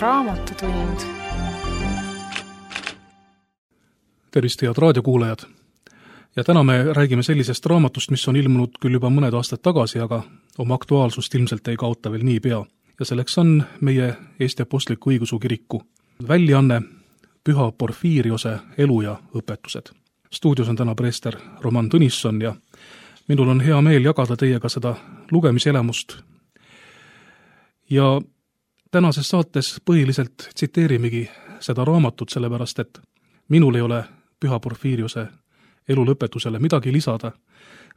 Raamatutund. Tervist, head raadiokuulajad! Ja täna me räägime sellisest raamatust, mis on ilmunud küll juba mõned aastad tagasi, aga oma aktuaalsust ilmselt ei kaota veel niipea. Ja selleks on meie Eesti Apostliku Õigeusu Kiriku väljaanne Püha Porfiiriose elu ja õpetused. Stuudios on täna preester Roman Tõnisson ja minul on hea meel jagada teiega seda lugemiselemust. Ja tänases saates põhiliselt tsiteerimegi seda raamatut, sellepärast et minul ei ole Püha Porfiiriose elu lõpetusele midagi lisada,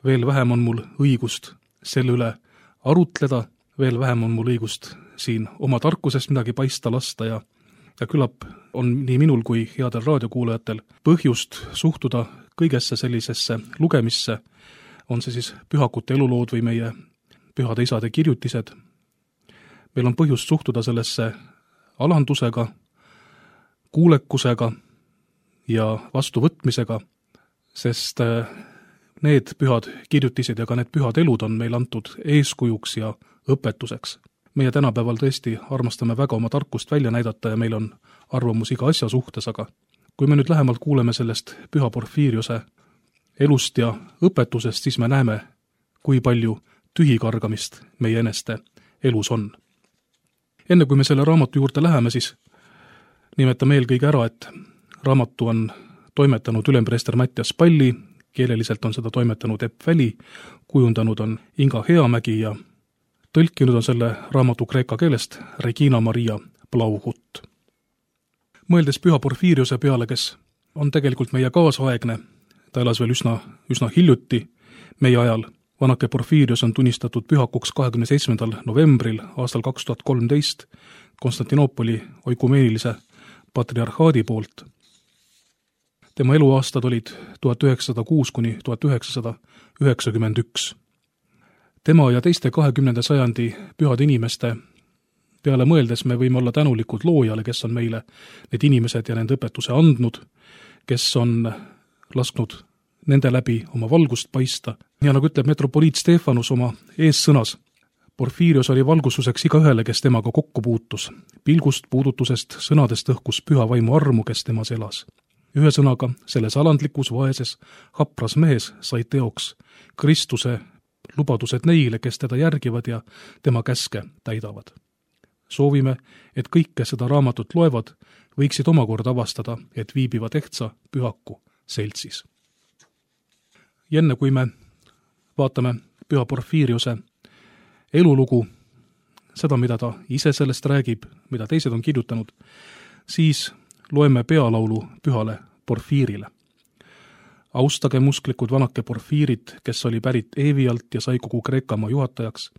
veel vähem on mul õigust selle üle arutleda, veel vähem on mul õigust siin oma tarkusest midagi paista lasta ja küllap on nii minul kui headel raadiokuulajatel põhjust suhtuda kõigesse sellisesse lugemisse, on see siis pühakute elulood või meie pühade isade kirjutised. Meil on põhjust suhtuda sellesse alandusega, kuulekusega ja vastuvõtmisega, sest need pühad kirjutised ja ka need pühad elud on meil antud eeskujuks ja õpetuseks. Meie tänapäeval tõesti armastame väga oma tarkust välja näidata ja meil on arvamus iga asja suhtes, aga kui me nüüd lähemalt kuuleme sellest Püha Porfiiriose elust ja õpetusest, siis me näeme, kui palju tühikargamist meie eneste elus on. Enne kui me selle raamatu juurde läheme, siis nimetame eelkõige ära, et raamatu on toimetanud ülempreester Mattias Palli, keeleliselt on seda toimetanud Epp Väli, kujundanud on Inga Heamägi ja tõlkinud on selle raamatu kreeka keelest Regina Maria Blauhut. Mõeldes Püha Porfiiriose peale, kes on tegelikult meie kaasaegne, ta elas veel üsna hiljuti meie ajal. Vanake Porfiirios on tunnistatud pühakuks 27. novembril aastal 2013 Konstantinoopoli oikumeenilise patriarhaadi poolt. Tema eluaastad olid 1906 kuni 1991. Tema ja teiste 20. sajandi pühade inimeste peale mõeldes me võime olla tänulikud loojale, kes on meile need inimesed ja nende õpetuse andnud, kes on lasknud nende läbi oma valgust paista. Ja nagu ütleb metropoliit Stefanus oma eessõnas, Porfiirios oli valgustuseks igaühele, kes temaga kokku puutus. Pilgust, puudutusest, sõnadest õhkus püha vaimu armu, kes temas elas. Ühe sõnaga, selles alandlikus, vaeses, hapras mehes sai teoks Kristuse lubadused neile, kes teda järgivad ja tema käske täidavad. Soovime, et kõik, kes seda raamatut loevad, võiksid omakorda avastada, et viibivad ehtsa pühaku seltsis. Ja enne kui me vaatame Püha Porfiiriose elulugu, seda, mida ta ise sellest räägib, mida teised on kirjutanud, siis loeme pealaulu Pühale Porfiirile. Austage musklikud vanake Porfiirid, kes oli pärit Eevialt ja sai kogu Kreekamaa juhatajaks.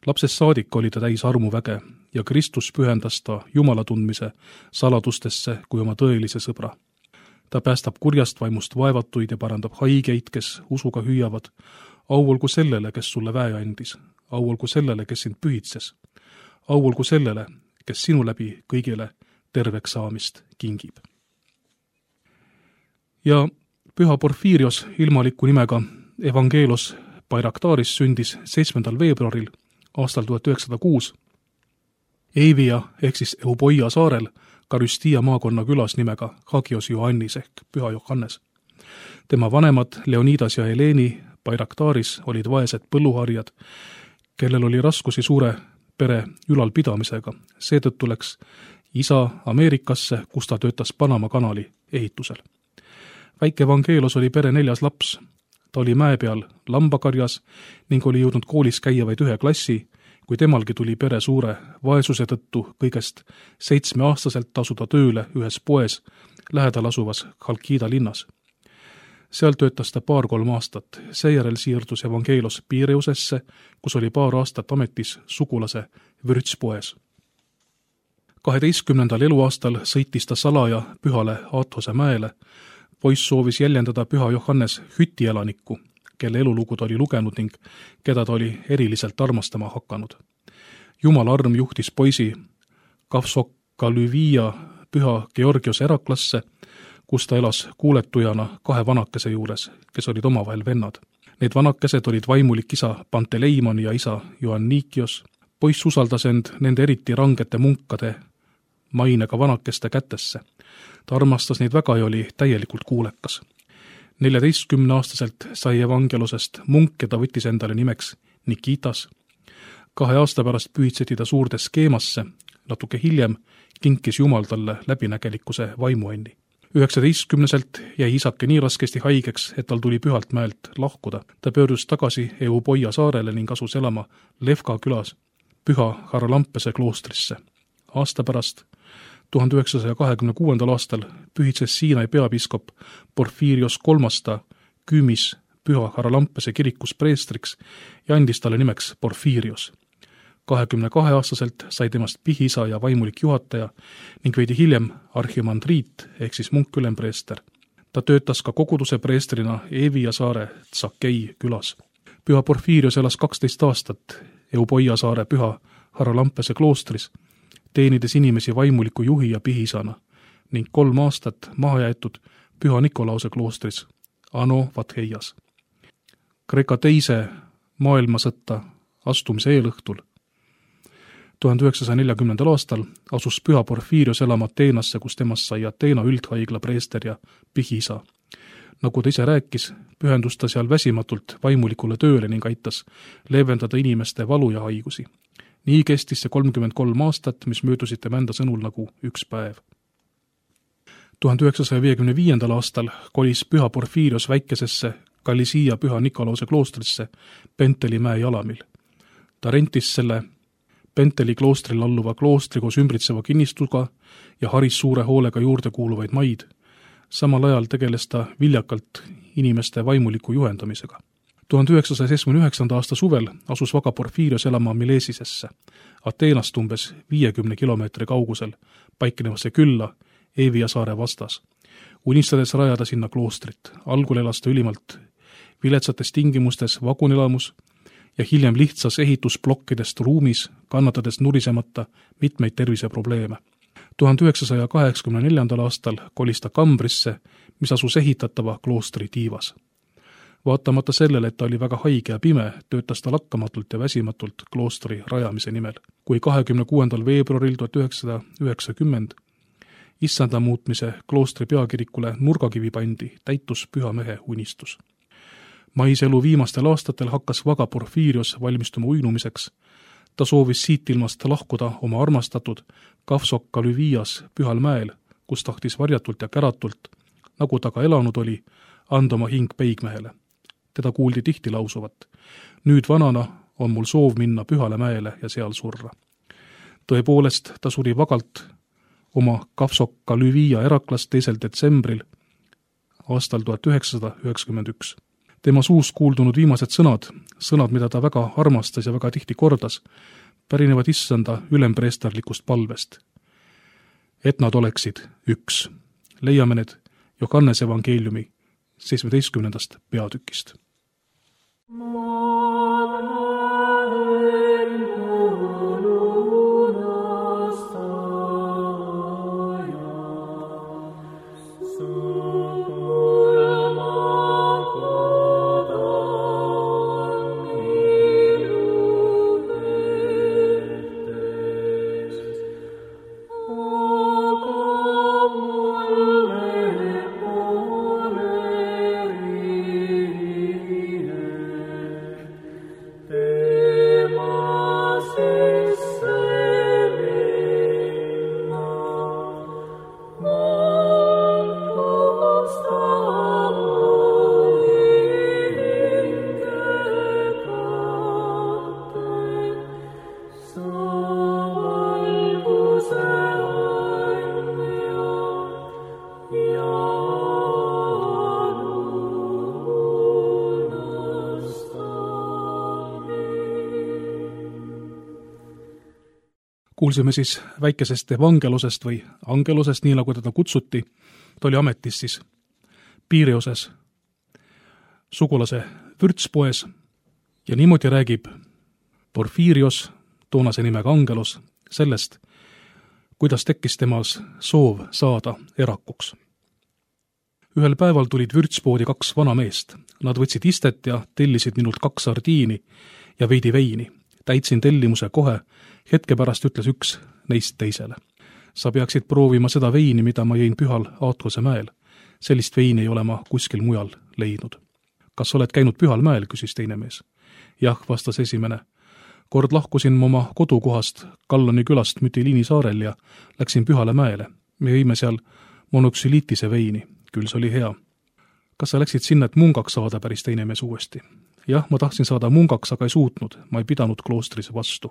Lapsest saadik oli ta täis armuväge ja Kristus pühendas ta Jumala tundmise saladustesse kui oma tõelise sõbra. Ta päästab kurjast vaimust vaevatuid ja parandab haigeid, kes usuga hüüavad. Au olgu sellele, kes sulle väe andis. Au olgu sellele, kes sind pühitses. Au olgu sellele, kes sinu läbi kõigile terveks saamist kingib. Ja Püha Porfiirios ilmaliku nimega Evangelos Bayraktaris sündis 7. veebruaril aastal 1906 Eivia ehk siis Euboia saarel Karüstia maakonna külas nimega Hagios Johannis ehk Püha Johannes. Tema vanemad Leonidas ja Heleni Bayraktaris olid vaesed põlluharjad, kellel oli raskusi suure pere ülalpidamisega. Seetõttu läks isa Ameerikasse, kus ta töötas Panama kanali ehitusel. Väike Evangelos oli pere 4. laps. Ta oli mäe peal lambakarjas ning oli jõudnud koolis käia vaid 1 klassi, kui temalgi tuli pere suure vaesuse tõttu kõigest 7-aastaselt tasuda tööle ühes poes lähedal asuvas Chalkida linnas. Seal töötas ta 2-3 aastat. Seejärel siirdus Evangelos Piireusesse, kus oli 2 aastat ametis sugulase vürtspoes. 12. eluaastal sõitis ta salaja pühale Aathose mäele. Poiss soovis jäljendada Püha Johannes Hüti-elanikku, kelle elulugu ta oli lugenud ning keda ta oli eriliselt armastama hakanud. Jumala arm juhtis poisi Kavsokalüvia Püha Georgiose eraklasse, kus ta elas kuuletujana 2 vanakese juures, kes olid omavahel vennad. Need vanakesed olid vaimulik isa Panteleimon ja isa Joannikios. Poiss usaldas end nende eriti rangete munkade mainega vanakeste kätesse. Ta armastas neid väga ja oli täielikult kuulekas. 14-aastaselt sai evangelusest munk ja ta võttis endale nimeks Nikitas. 2 aasta pärast pühitseti ta suurde skeemasse, natuke hiljem kinkis Jumal talle läbinägelikkuse vaimuanni. 19-selt jäi isake nii raskesti haigeks, et tal tuli Pühalt mäelt lahkuda. Ta pöördus tagasi Euboia saarele ning asus elama Levka külas Püha Haralampese kloostrisse. Aasta pärast, 1926. aastal, pühitses Siinai peapiiskop Porfirios III Küümis Püha Haralampese kirikus preestriks ja andis talle nimeks Porfirios. 22-aastaselt sai temast pihiisa ja vaimulik juhataja ning veidi hiljem arhimandriit ehk siis munk-ülempreester. Ta töötas ka koguduse preestrina Evia saare Tsakei külas. Püha Porfirios elas 12 aastat Euboia saare Püha Haralampese kloostris, teenides inimesi vaimuliku juhi ja pihiisana ning 3 aastat maha jäetud Püha Nikolause kloostris Ano Vatheias. Kreeka teise maailmasõtta astumise eelõhtul 1940. aastal asus Püha Porfirios elama Ateenasse, kus temast sai Ateena üldhaigla preester ja pihiisa. Nagu ta ise rääkis, pühendus ta seal väsimatult vaimulikule tööle ning aitas leevendada inimeste valu ja haigusi. Nii kestis see 33 aastat, mis möödusid tema enda sõnul nagu üks päev. 1955. aastal kolis Püha Porfirios väikesesse Kalisia Püha Nikolause kloostrisse Penteli mäe jalamil. Ta rentis selle Penteli kloostrile alluva kloostri koos ümbritseva kinnistuga ja haris suure hoolega juurde kuuluvaid maid. Samal ajal tegeles ta viljakalt inimeste vaimuliku juhendamisega. 1979. aasta suvel asus Vaga Porfirios elama Milesisesse, Ateenast umbes 50 kilomeetri kaugusel paiknevasse külla Evia saare vastas. Unistades rajada sinna kloostrit, algul elas ta ülimalt viletsates tingimustes vagunelamus ja hiljem lihtsas ehitusblokkidest ruumis, kannatades nurisemata mitmeid terviseprobleeme. 1984. aastal kolis ta Kambrisse, mis asus ehitatava kloostri tiivas. Vaatamata sellele, et ta oli väga haige ja pime, töötas ta lakkamatult ja väsimatult kloostri rajamise nimel. Kui 26. veebruaril 1990 issanda muutmise kloostri peakirikule nurgakivi pandi, täitus püha mehe unistus. Maiselu viimastel aastatel hakkas Vaga Porfirios valmistuma uinumiseks. Ta soovis siit ilmast lahkuda oma armastatud Kafsokka Lüvias Pühal mäel, kus tahtis varjatult ja käratult, nagu ta ka elanud oli, anda oma hing peigmehele. Teda kuuldi tihti lausuvat. Nüüd vanana on mul soov minna Pühale mäele ja seal surra. Tõepoolest, ta suri vagalt oma Kafsokka Lüvia Eraklas 2. detsembril aastal 1991. Tema suust kuuldunud viimased sõnad, mida ta väga armastas ja väga tihti kordas, pärinevad issanda ülempreesterlikust palvest. Et nad oleksid üks. Leiame need Johannese evangeeliumi 17. peatükist. Kuulsime siis väikesest evangelusest või angelusest, nii nagu teda kutsuti. Ta oli ametis siis Piireoses sugulase vürtspoes ja niimoodi räägib Porfirios, toonase nimega angelus, sellest, kuidas tekkis temas soov saada erakuks. Ühel päeval tulid vürtspoodi 2 vana meest. Nad võtsid istet ja tellisid minult 2 sardiini ja veidi veini. Täitsin tellimuse kohe, hetke pärast ütles üks neist teisele. Sa peaksid proovima seda veini, mida ma jõin Pühal Aatkose mäel. Sellist veini ei ole ma kuskil mujal leidnud. Kas oled käinud Pühal mäel, küsis teine mees. Jah, vastas esimene. Kord lahkusin oma kodukohast Kalloni külast Mütiliini saarel ja läksin Pühale mäele. Me jõime seal monoksüliitise veini. Küll see oli hea. Kas sa läksid sinna, et mungaks saada, päris teine mees uuesti? Jah, ma tahtsin saada mungaks, aga ei suutnud. Ma ei pidanud kloostris vastu.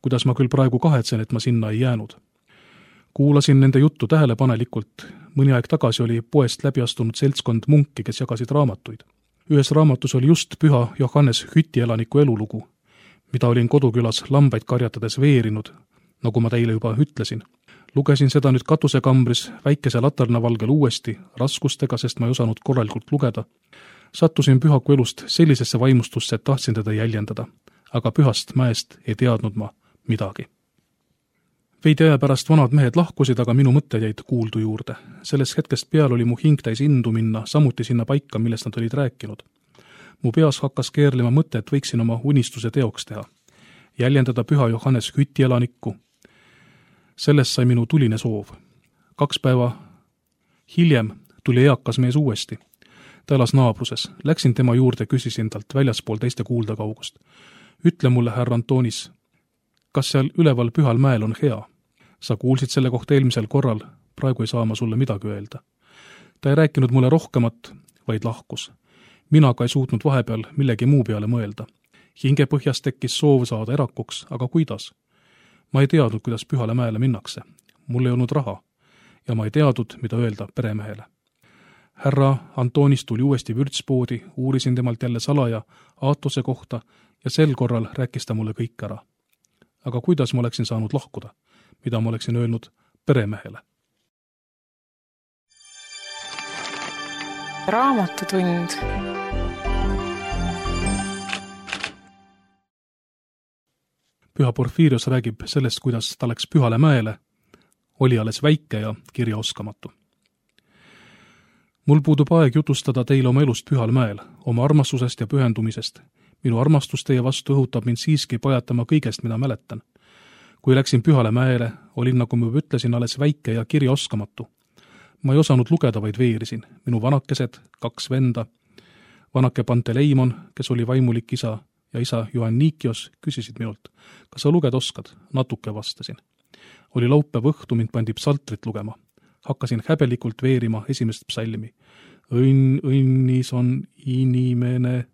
Kuidas ma küll praegu kahetsen, et ma sinna ei jäänud. Kuulasin nende juttu tähelepanelikult. Mõni aeg tagasi oli poest läbi astunud seltskond munki, kes jagasid raamatuid. Ühes raamatus oli just Püha Johannes Hütielaniku elulugu, mida olin kodukülas lambaid karjatades veerinud, nagu ma teile juba ütlesin. Lugesin seda nüüd katusekambris väikese latarnavalgel uuesti, raskustega, sest ma ei osanud korralikult lugeda. Sattusin Pühaku elust sellisesse vaimustusse, et tahtsin teda jäljendada, aga Pühast mäest ei teadnud ma midagi. Veidi aja pärast vanad mehed lahkusid, aga minu mõtted jäid kuuldu juurde. Sellest hetkest peal oli mu hing täis indu minna samuti sinna paika, millest nad olid rääkinud. Mu peas hakkas keerlema mõte, et võiksin oma unistuse teoks teha. Jäljendada Püha Johannes Hütielanikku. Sellest sai minu tuline soov. 2 päeva hiljem tuli eakas mees uuesti. Ta elas naabruses. Läksin tema juurde, küsisin talt väljaspool teiste kuulda kaugust. Ütle mulle, härra Antonis, kas seal üleval Pühal mäel on hea? Sa kuulsid selle kohta eelmisel korral, praegu ei saa ma sulle midagi öelda. Ta ei rääkinud mulle rohkemat, vaid lahkus. Mina ka ei suutnud vahepeal millegi muu peale mõelda. Hingepõhjas tekkis soov saada erakuks, aga kuidas? Ma ei teadnud, kuidas Pühale mäele minnakse. Mul ei olnud raha ja ma ei teadnud, mida öelda peremehele. Härra Antonis tuli uuesti vürtspoodi, uurisin temalt jälle salaja Aatose kohta ja sel korral rääkis ta mulle kõik ära. Aga kuidas ma oleksin saanud lahkuda? Mida ma oleksin öelnud peremehele? Raamatutund. Püha Porfirios räägib sellest, kuidas ta läks Pühale mäele, oli alles väike ja kirjaoskamatu. Mul puudub aeg jutustada teile oma elust Pühal mäel, oma armastusest ja pühendumisest. Minu armastus teie vastu õhutab mind siiski pajatama kõigest, mida mäletan. Kui läksin Pühale mäele, olin, nagu ma ütlesin, alles väike ja kirjaoskamatu. Ma ei osanud lugeda, vaid veerisin. Minu vanakesed, 2 venda, vanake Panteleimon, kes oli vaimulik isa, ja isa Ioannikios küsisid minult, kas sa lugeda oskad? Natuke vastasin. Oli laupäev õhtu, mind pandi psaltrit lugema. Hakkasin häbelikult veerima esimest psalmi. Õnnis on inimene.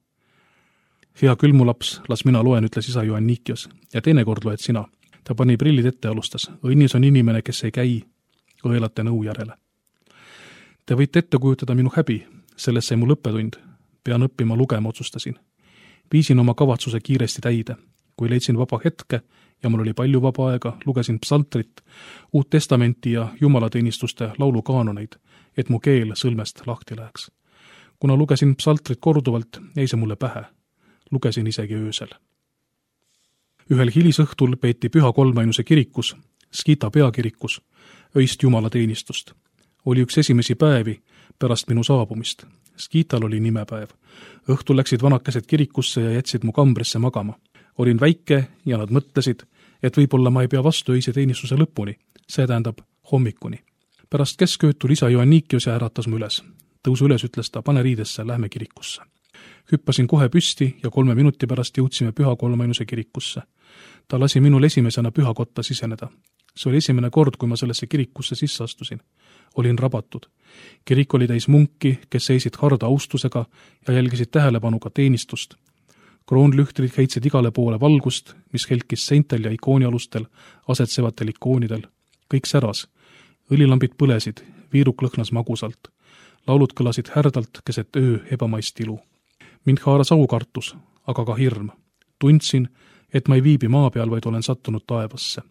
Hea küll, mu laps, las mina loen, ütles isa Ioannikios. Ja teinekord loed sina. Ta pani prillid ette ja alustas. Õnnis on inimene, kes ei käi õelate nõu järele. Te võite ette kujutada minu häbi. Sellest sai mul õppetund. Pean õppima lugema, otsustasin. Viisin oma kavatsuse kiiresti täide. Kui leidsin vaba hetke ja mul oli palju vaba aega, lugesin psaltrit, Uut Testamenti ja jumalateenistuste laulukaanoneid, et mu keel sõlmest lahti läheks. Kuna lugesin psaltrit korduvalt, jäi see mulle pähe. Lugesin isegi öösel. Ühel hilisõhtul peeti Püha Kolmainuse kirikus, Skita peakirikus, öist jumalateenistust. Oli üks esimesi päevi pärast minu saabumist. Skital oli nimepäev. Õhtul läksid vanakesed kirikusse ja jätsid mu kambrisse magama. Olin väike ja nad mõtlesid, et võib-olla ma ei pea vastu öise teenistuse lõpuni, see tähendab hommikuni. Pärast keskööd tuli isa Ioannikios ja äratas mu üles. Tõusu üles, ütles ta, pane riidesse, lähme kirikusse. Hüppasin kohe püsti ja 3 minuti pärast jõudsime Püha Kolmainuse kirikusse. Ta lasi minul esimesena pühakotta siseneda. See oli esimene kord, kui ma sellesse kirikusse sisse astusin. Olin rabatud. Kirik oli täis munki, kes seisid harda austusega ja jälgisid tähelepanuga teenistust. Kroonlühtrid heitsid igale poole valgust, mis helkis seintel ja ikoonialustel, asetsevatel ikoonidel. Kõik säras. Õlilambid põlesid, viiruk lõhnas magusalt. Laulud kõlasid härdalt keset öö ebamaist ilu. Mind haaras aukartus, aga ka hirm. Tundsin, et ma ei viibi maa peal, vaid olen sattunud taevasse.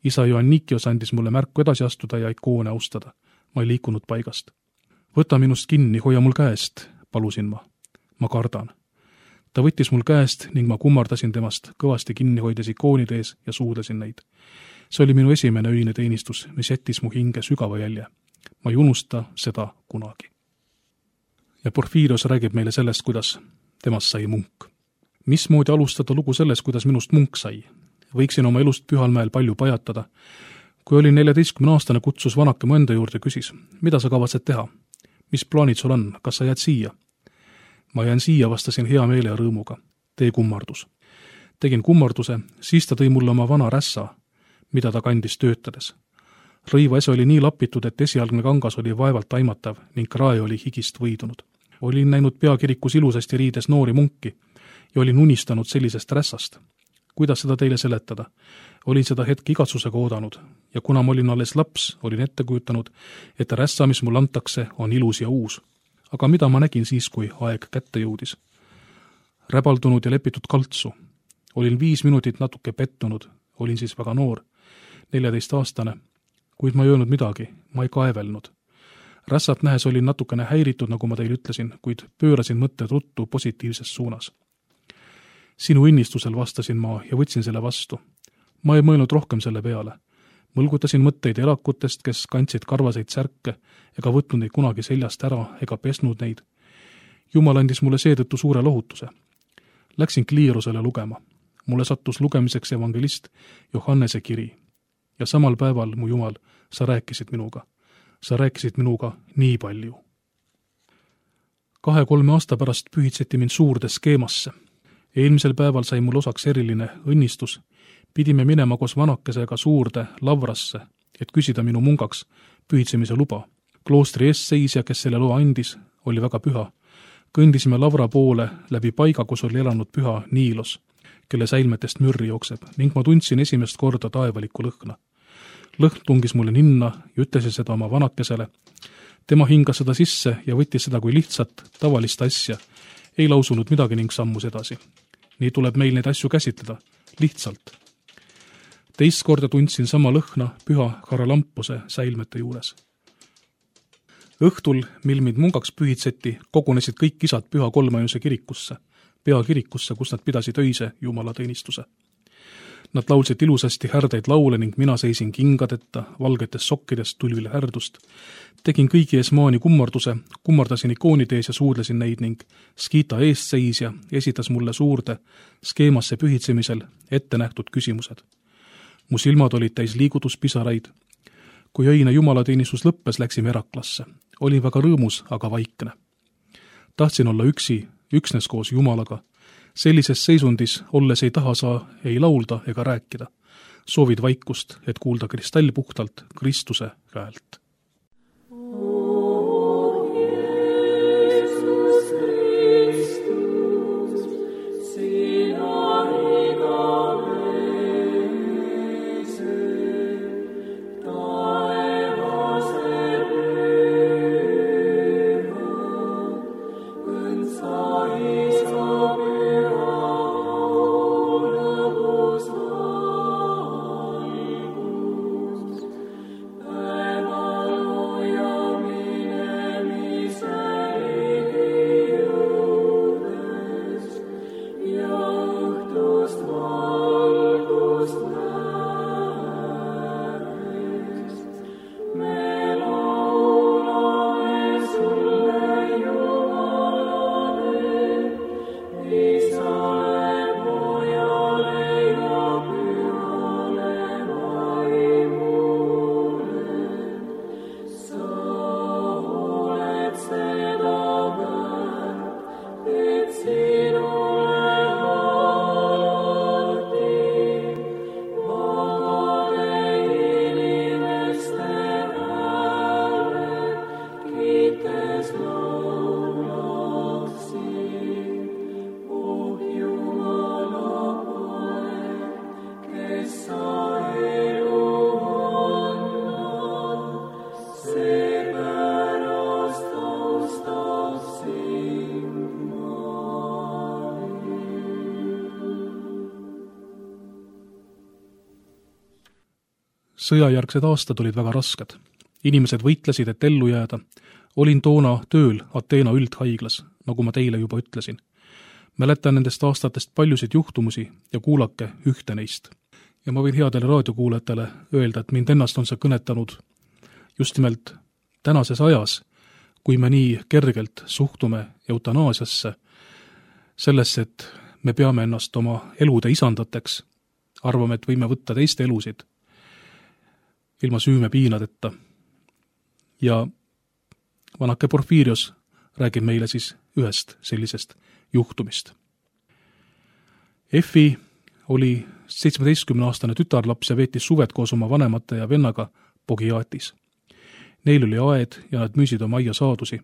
Isa Ioannikios andis mulle märku edasi astuda ja ikoone austada. Ma ei liikunud paigast. Võta minust kinni, hoia mul käest, palusin ma. Ma kardan. Ta võttis mul käest ning ma kummardasin temast, kõvasti kinni hoides ikoonide ees ja suudlesin neid. See oli minu esimene öine teenistus, mis jättis mu hinge sügava jälje. Ma ei unusta seda kunagi. Ja Porfirios räägib meile sellest, kuidas temast sai munk. Mismoodi alustada lugu sellest, kuidas minust munk sai? Võiksin oma elust Pühal mäel palju pajatada, Kui olin 14-aastane, kutsus vanake mu enda juurde ja küsis, mida sa kavatsed teha? Mis plaanid sul on? Kas sa jääd siia? Ma jään siia, vastasin hea meele ja rõõmuga. Tee kummardus. Tegin kummarduse, siis ta tõi mulle oma vana rässa, mida ta kandis töötades. Rõivaese oli nii lapitud, et esialgne kangas oli vaevalt aimatav ning krae oli higist võidunud. Olin näinud peakirikus ilusasti riides noori munki ja olin unistanud sellisest rässast. Kuidas seda teile seletada? Olin seda hetke igatsusega oodanud ja kuna ma olin alles laps, olin ette kujutanud, et rässa, mis mul antakse, on ilus ja uus. Aga mida ma nägin siis, kui aeg kätte jõudis? Räbaldunud ja lepitud kaltsu. Olin 5 minutit natuke pettunud, olin siis väga noor, 14-aastane, kuid ma ei öelnud midagi, ma ei kaevelnud. Rässat nähes olin natukene häiritud, nagu ma teile ütlesin, kuid pöörasin mõtted ruttu positiivses suunas. Sinu innistusel vastasin ma ja võtsin selle vastu. Ma ei mõelnud rohkem selle peale. Mõlgutasin mõtteid elakutest, kes kandsid karvaseid särke ega võtnud neid kunagi seljast ära ega pesnud neid. Jumal andis mulle seetõttu suure lohutuse. Läksin kliirusele lugema. Mulle sattus lugemiseks evangelist Johannese kiri. Ja samal päeval, mu Jumal, sa rääkisid minuga. Sa rääkisid minuga nii palju. 2-3 aasta pärast pühitseti mind suurde skeemasse. Eelmisel päeval sai mul osaks eriline õnnistus. Pidime minema koos vanakesega suurde lavrasse, et küsida minu mungaks pühitsemise luba. Kloostri eesseisja, kes selle loa andis, oli väga püha. Kõndisime lavra poole läbi paiga, kus oli elanud püha Niilos, kelle säilmetest mürri jookseb, ning ma tundsin esimest korda taevalikku lõhna. Lõhn tungis mulle ninna ja ütlesin seda oma vanakesele. Tema hingas seda sisse ja võttis seda kui lihtsat, tavalist asja. Ei lausunud midagi ning sammus edasi. Nii tuleb meil neid asju käsitleda. Lihtsalt. Teist korda tundsin sama lõhna püha Haralampuse säilmete juures. Õhtul, mil mind mungaks pühitseti, kogunesid kõik isad püha Kolmajõnuse kirikusse, peakirikusse, kus nad pidasid öise jumalateenistuse. Nad laulsid ilusasti härdeid laule ning mina seisin kingadeta, valgetes sokkidest tulvile härdust. Tegin kõigi ees maani kummarduse, kummardasin ikoonide ees ja suudlesin neid ning Skita eestseisja esitas mulle suurde skeemasse pühitsemisel ette nähtud küsimused. Mu silmad olid täis liigutuspisaraid. Kui öine jumalateenistus lõppes, läksime eraklasse. Olin väga rõõmus, aga vaikne. Tahtsin olla üksi, üksnes koos Jumalaga. Sellises seisundis olles ei taha saa ei laulda ega rääkida. Soovid vaikust, et kuulda kristallpuhtalt Kristuse häält. Sõjajärgsed aastad olid väga rasked. Inimesed võitlesid, et ellu jääda. Olin toona tööl Ateena üldhaiglas, nagu ma teile juba ütlesin. Mäletan nendest aastatest paljusid juhtumusi ja kuulake ühte neist. Ja ma võin headele raadiokuulajatele öelda, et mind ennast on see kõnetanud just nimelt tänases ajas, kui me nii kergelt suhtume eutanaasiasse, sellesse, et me peame ennast oma elude isandateks, arvame, et võime võtta teiste elusid. ilma süümepiinadeta. Ja vanake Porfirios räägib meile siis ühest sellisest juhtumist. Effi oli 17-aastane tütarlaps ja veetis suved koos oma vanemate ja vennaga Pogiatis. Neil oli aed ja nad müüsid oma aia saadusi.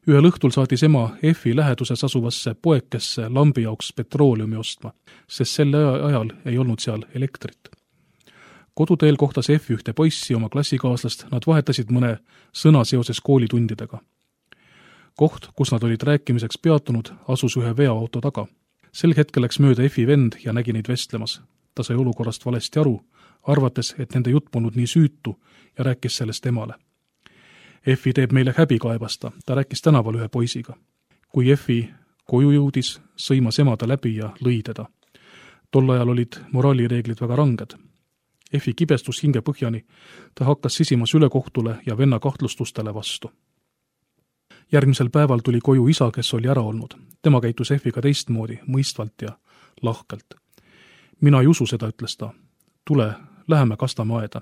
Ühel õhtul saatis ema Effi läheduses asuvasse poekesse lambi jaoks petrooleumi ostma, sest selle ajal ei olnud seal elektrit. Koduteel kohtas Effi ühte poissi oma klassikaaslast, nad vahetasid mõne sõna seoses koolitundidega. Koht, kus nad olid rääkimiseks peatunud, asus ühe veoauto taga. Sel hetkel läks mööda Effi vend ja nägi neid vestlemas. Ta sai olukorrast valesti aru, arvates, et nende jutt polnud nii süütu ja rääkis sellest emale. Effi teeb meile häbi kaebasta, ta rääkis tänaval ühe poisiga. Kui Effi koju jõudis, sõimas ema ta läbi ja lõi teda. Tol ajal olid moraalireeglid väga ranged. Effi kibestus hinge põhjani, ta hakkas sisimas ülekohtule ja venna kahtlustustele vastu. Järgmisel päeval tuli koju isa, kes oli ära olnud. Tema käitus Effiga teistmoodi, mõistvalt ja lahkelt. Mina ei usu seda, ütles ta. Tule, läheme kastame aeda.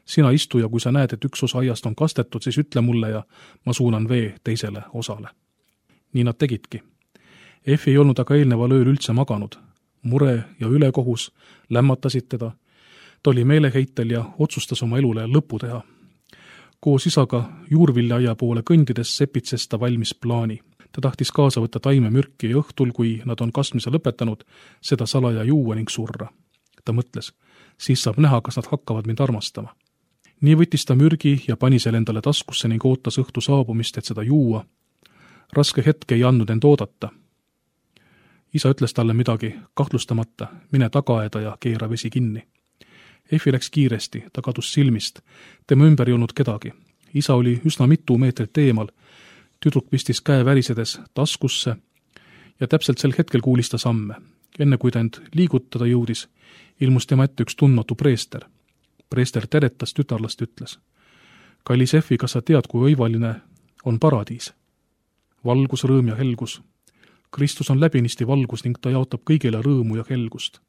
Sina istu ja kui sa näed, et üks osa aiast on kastetud, siis ütle mulle ja ma suunan vee teisele osale. Nii nad tegidki. Effi ei olnud aga eelneval ööl üldse maganud. Mure ja ülekohus lämmatasid teda. Ta oli meeleheitel ja otsustas oma elule lõpu teha. Koos isaga juurviljaia poole kõndides sepitses ta valmis plaani. Ta tahtis kaasa võtta taimemürki ja õhtul, kui nad on kasvmise lõpetanud, seda salaja juua ning surra. Ta mõtles, siis saab näha, kas nad hakkavad mind armastama. Nii võttis ta mürgi ja pani selle endale taskusse ning ootas õhtu saabumist, et seda juua. Raske hetk ei andnud end oodata. Isa ütles talle midagi kahtlustamata, mine tagaaeda ja keera vesi kinni. Effi läks kiiresti, ta kadus silmist. Tema ümber ei olnud kedagi. Isa oli üsna mitu meetrit eemal. Tüdruk pistis käe värisedes taskusse ja täpselt sel hetkel kuulis ta samme. Enne kui ta end liigutada jõudis, ilmus tema ette üks tundmatu preester. Preester teretas tütarlast ütles. Kallis Effi, kas sa tead, kui õivaline on paradiis? Valgus, rõõm ja helgus. Kristus on läbinisti valgus ning ta jaotab kõigile rõõmu ja helgust.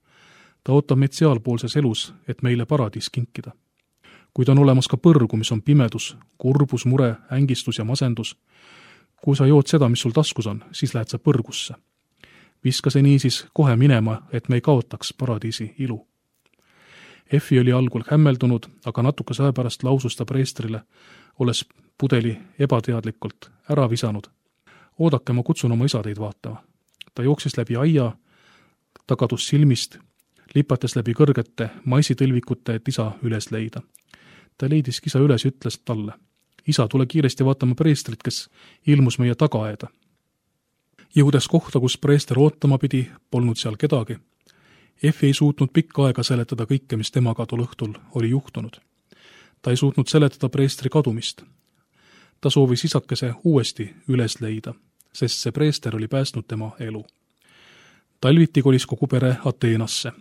Ta ootab meid sealpoolses elus, et meile paradiis kinkida. Kuid on olemas ka põrgu, mis on pimedus, kurbus, mure, ängistus ja masendus. Kui sa jood seda, mis sul taskus on, siis lähed sa põrgusse. Viska see niisiis kohe minema, et me ei kaotaks paradiisi ilu. Effi oli algul hämmeldunud, aga natukese aja pärast lausus ta preestrile, olles pudeli ebateadlikult ära visanud. Oodake, ma kutsun oma isa teid vaatama. Ta jooksis läbi aia, ta kadus silmist, lipates läbi kõrgete maisitõlvikute, et isa üles leida. Ta leidiski isa üles ja ütles talle. Isa, tule kiiresti vaatama preestrit, kes ilmus meie tagaaeda. Jõudes kohta, kus preester ootama pidi, polnud seal kedagi. Effi ei suutnud pikka aega seletada kõike, mis temaga tol õhtul oli juhtunud. Ta ei suutnud seletada preestri kadumist. Ta soovis isakese uuesti üles leida, sest see preester oli päästnud tema elu. Talviti kolis kogu pere Ateenasse.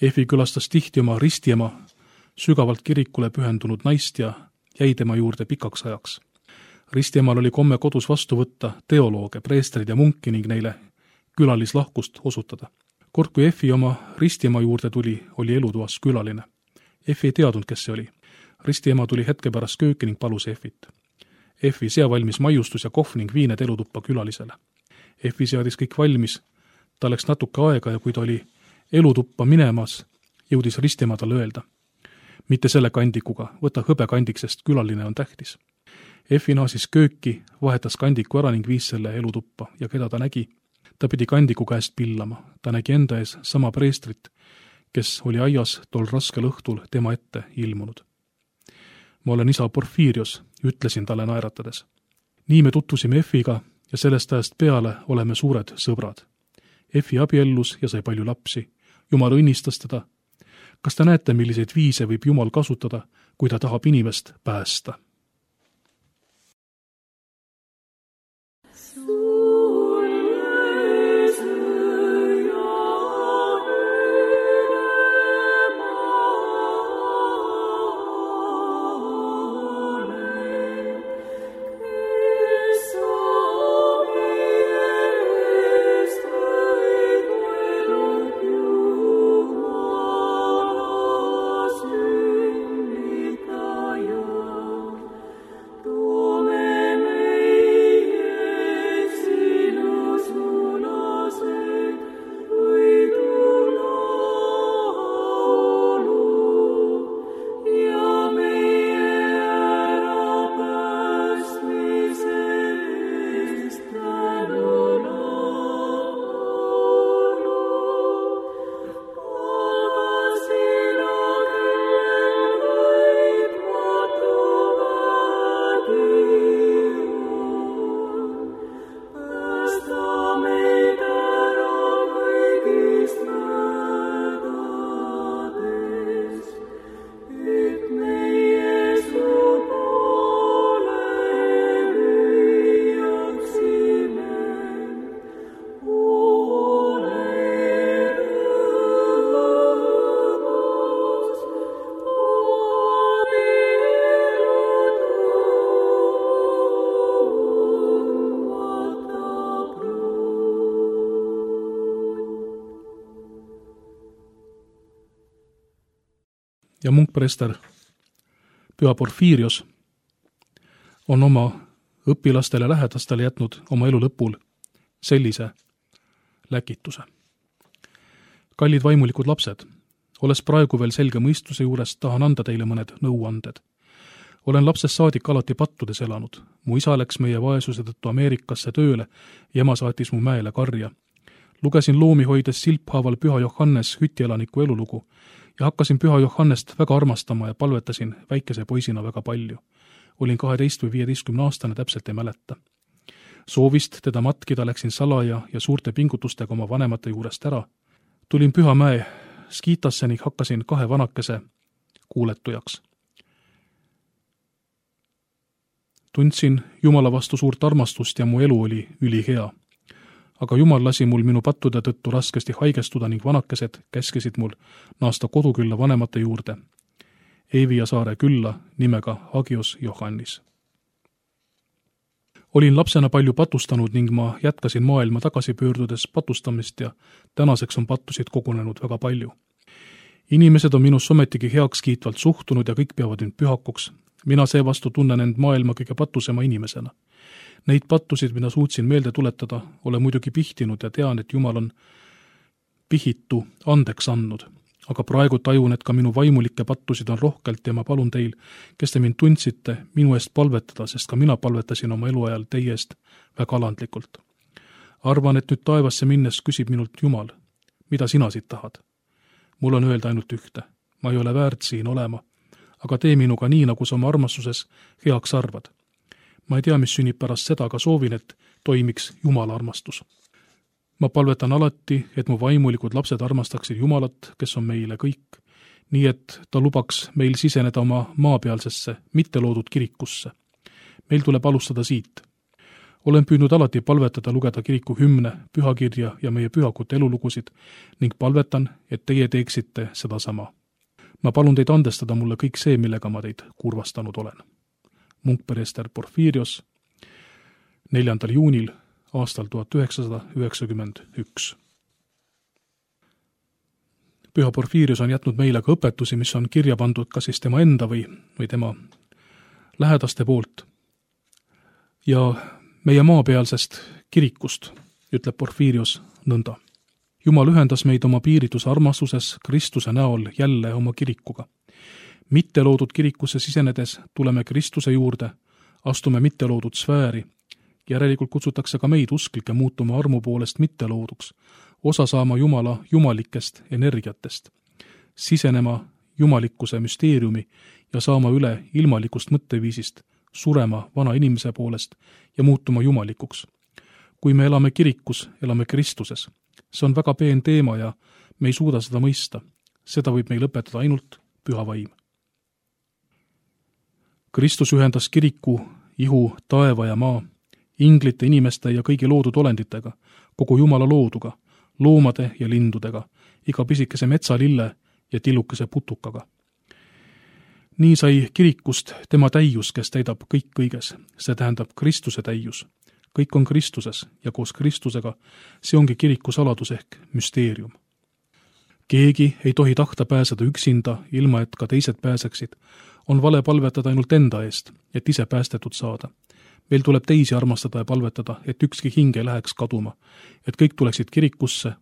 Effi külastas tihti oma ristiema, sügavalt kirikule pühendunud naist ja jäi tema juurde pikaks ajaks. Ristiemal oli komme kodus vastu võtta teolooge, preestrid ja munki ning neile külalislahkust osutada. Kord kui Effi oma ristiema juurde tuli, oli elutoas külaline. Effi ei teadnud, kes see oli. Ristiema tuli hetke pärast kööki ning palus Effit. Effi sea valmis maiustus ja kohv ning viined elutuppa külalisele. Effi seadis kõik valmis, ta läks natuke aega ja kui ta oli elutuppa minemas, jõudis Ristiema talle öelda. Mitte selle kandikuga, võta hõbe kandik, sest külaline on tähtis. Effi naasis kööki, vahetas kandiku ära ning viis selle elutuppa ja keda ta nägi? Ta pidi kandiku käest pillama. Ta nägi enda ees sama preestrit, kes oli aias tol raskel õhtul tema ette ilmunud. Ma olen isa Porfirios, ütlesin talle naeratades. Nii me tutvusime Effiga ja sellest ajast peale oleme suured sõbrad. Effi abiellus ja sai palju lapsi. Jumal õnnistas teda. Kas te näete, milliseid viise võib Jumal kasutada, kui ta tahab inimest päästa? Amen. ja munkpreester Püha Porfiirios on oma õpilastele lähedastele jätnud oma elu lõpul sellise läkituse. Kallid vaimulikud lapsed, olles praegu veel selge mõistuse juures, tahan anda teile mõned nõuanded. Olen lapsest saadik alati pattudes elanud. Mu isa läks meie vaesuse tõttu Ameerikasse tööle ja ema saatis mu mäele karja. Lugesin loomi hoides silphaaval Püha Johannes hütielaniku elulugu ja hakkasin Püha Johannest väga armastama ja palvetasin väikese poisina väga palju. Olin 12 või 15 aastane, täpselt ei mäleta. Soovist teda matkida läksin salaja ja suurte pingutustega oma vanemate juurest ära. Tulin Pühamäe Skitasse ning hakkasin 2 vanakese kuuletujaks. Tundsin Jumala vastu suurt armastust ja mu elu oli ülihea. Aga Jumal lasi mul minu pattude tõttu raskesti haigestuda ning vanakesed käskisid mul naasta kodukülla vanemate juurde. Eivia saare külla nimega Hagios Johannis. Olin lapsena palju patustanud ning ma jätkasin maailma tagasi pöördudes patustamist ja tänaseks on pattusid kogunenud väga palju. Inimesed on minus ometigi heaks kiitvalt suhtunud ja kõik peavad mind pühakuks. Mina seevastu tunnen end maailma kõige patusema inimesena. Neid pattusid, mida suutsin meelde tuletada, olen muidugi pihtinud ja tean, et Jumal on pihitu andeks andnud. Aga praegu tajun, et ka minu vaimulikke pattusid on rohkelt ja ma palun teil, kes te mind tundsite, minu eest palvetada, sest ka mina palvetasin oma eluajal teie eest väga alandlikult. Arvan, et nüüd taevasse minnes küsib minult Jumal, mida sina siit tahad? Mul on öelda ainult ühte. Ma ei ole väärt siin olema, aga tee minuga nii, nagu sa oma armastuses heaks arvad. Ma ei tea, mis sünnib pärast seda, aga soovin, et toimiks Jumala armastus. Ma palvetan alati, et mu vaimulikud lapsed armastaksid Jumalat, kes on meile kõik, nii et ta lubaks meil siseneda oma maapealsesse, mitte loodud kirikusse. Meil tuleb alustada siit. Olen püüdnud alati palvetada, lugeda kiriku hümne, pühakirja ja meie pühakute elulugusid ning palvetan, et teie teeksite seda sama. Ma palun teid andestada mulle kõik see, millega ma teid kurvastanud olen. Munkpreester Porfiirios 4. juunil aastal 1991. Püha Porfiirios on jätnud meile ka õpetusi, mis on kirja pandud kas siis tema enda või tema lähedaste poolt. Ja meie maapealsest kirikust ütleb Porfiirios nõnda. Jumal ühendas meid oma piirituse armastuses Kristuse näol jälle oma kirikuga. Mitte loodud kirikusse sisenedes tuleme Kristuse juurde, astume mitte loodud sfääri. Järelikult kutsutakse ka meid usklikke muutuma armu poolest mitte looduks, osa saama Jumala jumalikest energiatest, sisenema jumalikkuse müsteeriumi ja saama üle ilmalikust mõtteviisist, surema vana inimese poolest ja muutuma jumalikuks. Kui me elame kirikus, elame Kristuses. See on väga peen teema ja me ei suuda seda mõista. Seda võib meil õpetada ainult Püha Vaim. Kristus ühendas kiriku, ihu, taeva ja maa, inglite, inimeste ja kõigi loodud olenditega, kogu Jumala looduga, loomade ja lindudega, iga pisikese metsalille ja tillukese putukaga. Nii sai kirikust tema täius, kes täidab kõik kõiges. See tähendab Kristuse täius. Kõik on Kristuses ja koos Kristusega see ongi kiriku saladus ehk müsteerium. Keegi ei tohi tahta pääseda üksinda, ilma et ka teised pääseksid. On vale palvetada ainult enda eest, et ise päästetud saada. Meil tuleb teisi armastada ja palvetada, et ükski hing ei läheks kaduma, et kõik tuleksid kirikusse,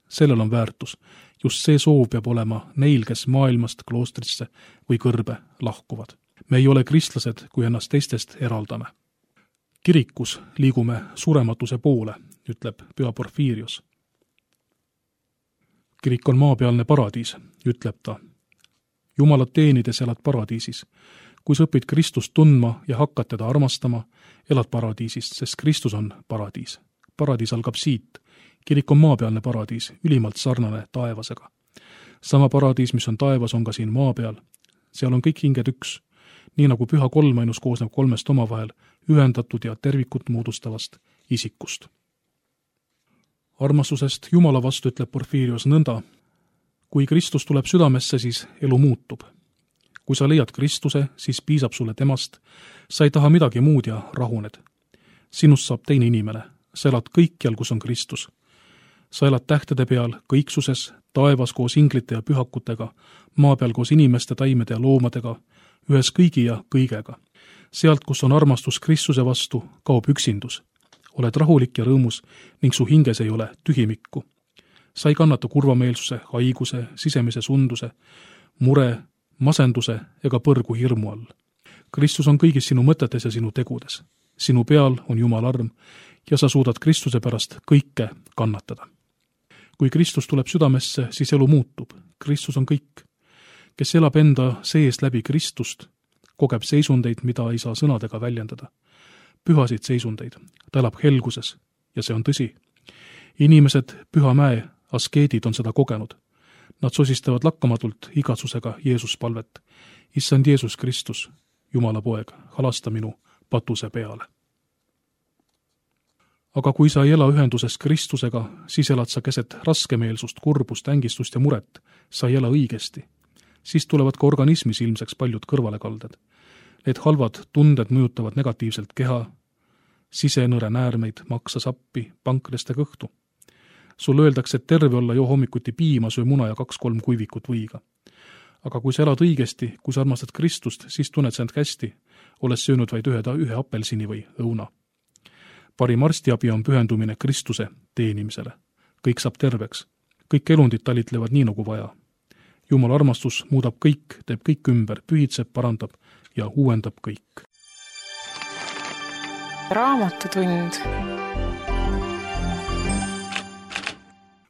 sellel on väärtus. Just see soov peab olema neil, kes maailmast kloostrisse või kõrbe lahkuvad. Me ei ole kristlased, kui ennast teistest eraldame. Kirikus liigume surematuse poole, ütleb Püha Porfiirios. Kirik on maapealne paradiis, ütleb ta. Jumalat teenides elad paradiisis. Kui sa õpid Kristust tundma ja hakkad teda armastama, elad paradiisist, sest Kristus on paradiis. Paradiis algab siit. Kirik on maapealne paradiis, ülimalt sarnane taevasega. Sama paradiis, mis on taevas, on ka siin maa peal. Seal on kõik hinged üks. Nii nagu Püha Kolmainus koosneb 3 omavahel ühendatud ja tervikut moodustavast isikust. Armastusest Jumala vastu ütleb Porfiirios nõnda. Kui Kristus tuleb südamesse, siis elu muutub. Kui sa leiad Kristuse, siis piisab sulle temast. Sa ei taha midagi muud ja rahuned. Sinust saab teine inimene. Sa elad kõikjal, kus on Kristus. sa elad tähtede peal, kõiksuses, taevas koos inglite ja pühakutega, maa peal koos inimeste, taimede ja loomadega, ühes kõigi ja kõigega. Sealt, kus on armastus Kristuse vastu, kaob üksindus. Oled rahulik ja rõõmus ning su hinges ei ole tühimikku. Sa ei kannata kurvameelsuse, haiguse, sisemise sunduse, mure, masenduse ega põrgu hirmu all. Kristus on kõigis sinu mõtetes ja sinu tegudes. Sinu peal on Jumala arm ja sa suudad Kristuse pärast kõike kannatada. Kui Kristus tuleb südamesse, siis elu muutub. Kristus on kõik. Kes elab enda sees läbi Kristust, kogeb seisundeid, mida ei saa sõnadega väljendada. Pühasid seisundeid. Ta elab helguses ja see on tõsi. Inimesed Pühamäe askeedid on seda kogenud. Nad sosistavad lakkamatult igatsusega Jeesus palvet. Issand Jeesus Kristus, Jumala poeg, halasta minu patuse peale. Aga kui sa ei ela ühenduses Kristusega, siis elad sa keset raskemeelsust, kurbust, ängistust ja muret. Sa ei ela õigesti. Siis tulevad ka organismis ilmseks paljud kõrvalekalded. Need halvad tunded mõjutavad negatiivselt keha, sisenõre näärmeid, maksa sappi, pankreste kõhtu. Sul öeldakse, et terve olla joo hommikuti piima, söö muna ja 2-3 kuivikut võiga. Aga kui sa elad õigesti, kui sa armastad Kristust, siis tunned sa end hästi, olles söönud vaid ühe apelsini või õuna. Parim arstiabi on pühendumine Kristuse teenimisele. Kõik saab terveks. Kõik elundid talitlevad nii nagu vaja. Jumala armastus muudab kõik, teeb kõik ümber, pühitseb, parandab ja uuendab kõik. Raamatutund.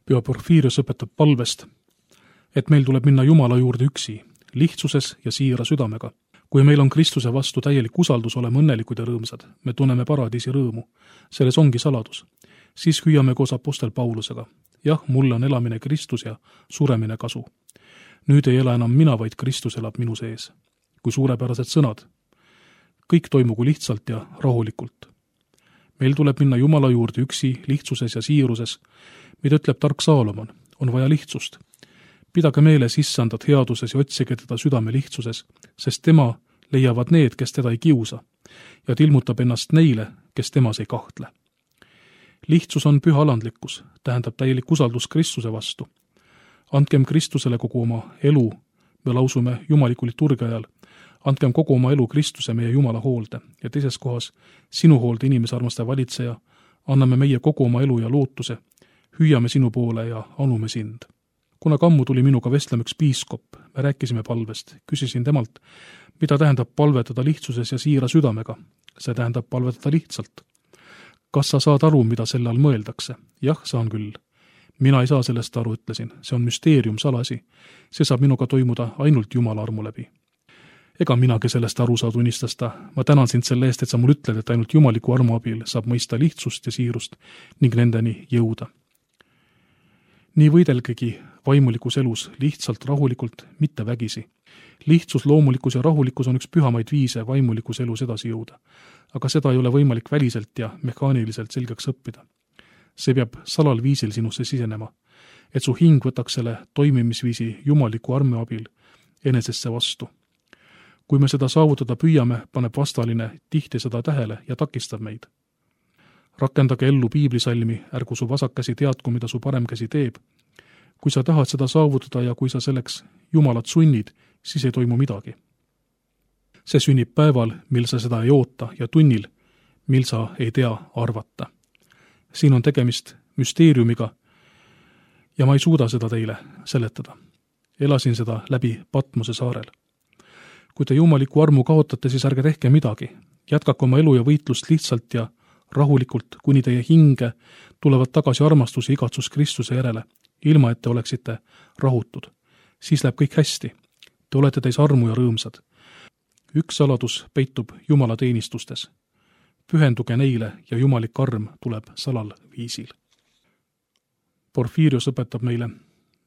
Püha Porfiirios õpetab palvest, et meil tuleb minna Jumala juurde üksi, lihtsuses ja siira südamega. Kui meil on Kristuse vastu täielik usaldus, oleme õnnelikud ja rõõmsad. Me tunneme paradiisi rõõmu. Selles ongi saladus. Siis hüüame koos apostel Paulusega. Jah, mulle on elamine Kristus ja suremine kasu. Nüüd ei ela enam mina, vaid Kristus elab minu sees. Kui suurepärased sõnad. Kõik toimugu lihtsalt ja rahulikult. Meil tuleb minna Jumala juurde üksi, lihtsuses ja siiruses. Mida ütleb tark Saalomon, on vaja lihtsust. Pidage meeles issandat headuses ja otsige teda südame lihtsuses, sest tema leiavad need, kes teda ei kiusa, ja tilmutab ennast neile, kes temas ei kahtle. Lihtsus on püha alandlikkus, tähendab täielik usaldus Kristuse vastu. Andkem Kristusele kogu oma elu, me lausume jumaliku liturgia ajal, andkem kogu oma elu Kristuse meie Jumala hoolde ja teises kohas sinu hoolde inimese armastaja valitseja, anname meie kogu oma elu ja lootuse, hüüame sinu poole ja anume sind. Kuna kammu tuli minuga vestlema üks piiskop, me rääkisime palvest, küsisin temalt, mida tähendab palvetada lihtsuses ja siira südamega. See tähendab palvetada lihtsalt. Kas sa saad aru, mida selle all mõeldakse? Jah, saan küll. Mina ei saa sellest aru, ütlesin. See on müsteerium, salasi. See saab minuga toimuda ainult Jumala armu läbi. Ega minagi sellest aru saa, tunnistas ta. Ma tänan sind selle eest, et sa mul ütled, et ainult jumaliku armu abil saab mõista lihtsust ja siirust ning nendeni jõuda. Nii võidelgegi vaimulikus elus lihtsalt, rahulikult, mitte vägisi. Lihtsus, loomulikkus ja rahulikkus on üks pühamaid viise vaimulikus elus edasi jõuda. Aga seda ei ole võimalik väliselt ja mehaaniliselt selgeks õppida. See peab salal viisil sinusse sisenema, et su hing võtaks selle toimimisviisi jumaliku armu abil enesesse vastu. Kui me seda saavutada püüame, paneb vastaline tihti seda tähele ja takistab meid. Rakendage ellu piiblisalmi, ärgu su vasakkäsi teadku, mida su paremkäsi teeb. Kui sa tahad seda saavutada ja kui sa selleks Jumalat sunnid, siis ei toimu midagi. See sünnib päeval, mil sa seda ei oota ja tunnil, mil sa ei tea arvata. Siin on tegemist müsteeriumiga ja ma ei suuda seda teile seletada. Elasin seda läbi Patmose saarel. Kui te jumaliku armu kaotate, siis ärge tehke midagi. Jätkake oma elu ja võitlust lihtsalt ja rahulikult, kuni teie hinge tulevad tagasi armastus ja igatsus Kristuse järele, ilma et te oleksite rahutud. Siis läheb kõik hästi. Te olete täis armu ja rõõmsad. Üks saladus peitub Jumala teenistustes. Pühenduge neile ja jumalik arm tuleb salal viisil. Porfiirios õpetab meile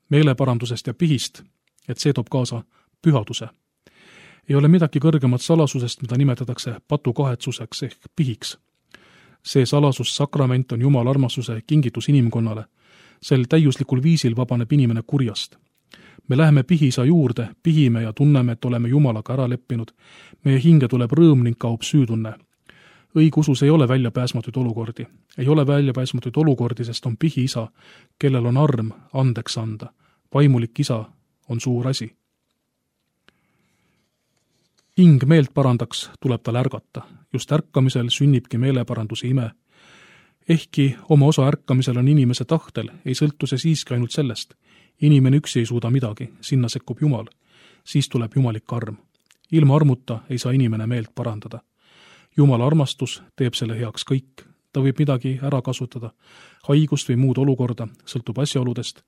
meeleparandusest ja pihist, et see toob kaasa pühaduse. Ei ole midagi kõrgemat salasusest, mida nimetatakse patukahetsuseks ehk pihiks. See salasus, sakrament on Jumala armastuse kingitus inimkonnale. Sel täiuslikul viisil vabaneb inimene kurjast. Me läheme pihisa juurde, pihime ja tunneme, et oleme Jumalaga ära leppinud. Meie hinge tuleb rõõm ning kaob süütunne. Õigusus ei ole väljapääsmatuid olukordi. Ei ole väljapääsmatuid olukordi, sest on pihiisa, kellel on arm andeks anda. Vaimulik isa on suur asi. Hing meelt parandaks, tuleb tal ärgata. Just ärkamisel sünnibki meeleparanduse ime. Ehkki oma osa ärkamisel on inimese tahtel, ei sõltu see siiski ainult sellest. Inimene üksi ei suuda midagi, sinna sekkub Jumal. Siis tuleb jumalik arm. Ilma armuta ei saa inimene meelt parandada. Jumala armastus teeb selle heaks kõik. Ta võib midagi ära kasutada, haigust või muud olukorda, sõltub asjaoludest,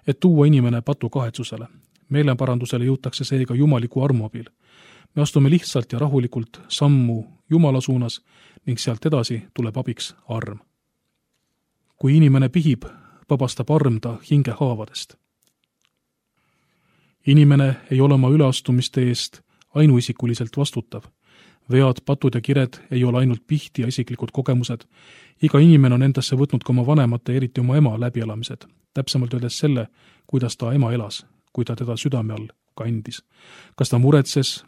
et tuua inimene patu kahetsusele. Meeleparandusele jõutakse seega jumaliku armu abil. Me astume lihtsalt ja rahulikult sammu Jumala suunas ning sealt edasi tuleb abiks arm. Kui inimene pihib, vabastab arm ta hinge haavadest. Inimene ei ole oma üleastumiste eest ainuisikuliselt vastutav. Vead, patud ja kired ei ole ainult pihti ja isiklikud kogemused. Iga inimene on endasse võtnud ka oma vanemate, eriti oma ema läbielamised. Täpsemalt öeldes selle, kuidas ta ema elas, kui ta teda südame all kandis. Kas ta muretses,